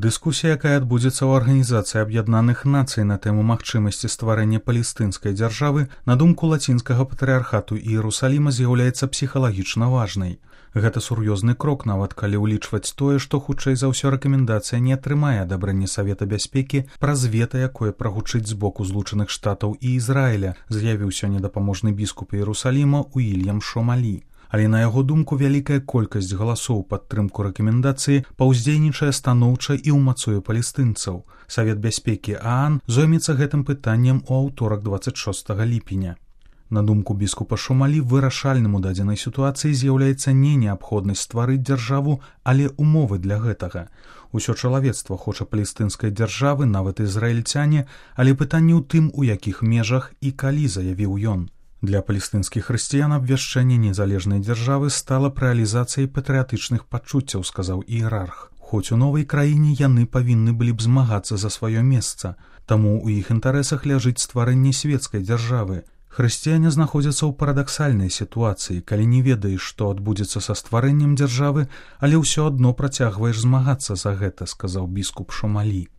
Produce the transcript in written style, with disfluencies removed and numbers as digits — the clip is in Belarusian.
Дыскусія, якая адбудзецца ў Арганізацыі Аб'яднаных Нацый на тэму магчымасці стварэння палестынскай дзяржавы, на думку лацінскага патрыархату Іерусаліма, з'яўляецца псіхалагічна важнай. Гэта сур'ёзны крок, нават калі ўлічваць тое, што хутчэй за ўсё рэкамендацыя не атрымае адабрэння Савета бяспекі праз вета, якое прагучыць з боку Злучаных Штатаў і Ізраіля, заявіў сёння дапаможны біскуп Іерусаліма Уільям Шомалі. Але на яго думку вялікая колькасць галасоў падтрымку рэкамендацыі паўздзейнічае станоўча і ўмацуе палестынцаў. Савет бяспекі ААН зоймецца гэтым пытаннем у аўторак 26 ліпеня. На думку біскупа Шомалі, вырашальным у дадзенай сітуацыі з'яўляецца не неабходнасць стварыць дзяржаву, але умовы для гэтага. Усё чалавецтва хоча палестынскай дзяржавы, нават ізраільцяне, але пытанне ў тым, у якіх межах і калі, заявіў ён. Для палестынскіх хрысціян абвяшчэнне незалежнай дзяржавы стала рэалізацыяй патрыятычных пачуццяў, сказаў іерарх. Хоць у новай краіне яны павінны былі б змагацца за сваё месца, таму ў іх інтарэсах ляжыць стварэнне свецкай дзяржавы. Хрысціяне знаходзяцца ў парадаксальнай сітуацыі, калі не ведаеш, што адбудзецца са стварэннем дзяржавы, але ўсё адно працягваеш змагацца за гэта, сказаў біскуп Шомалі.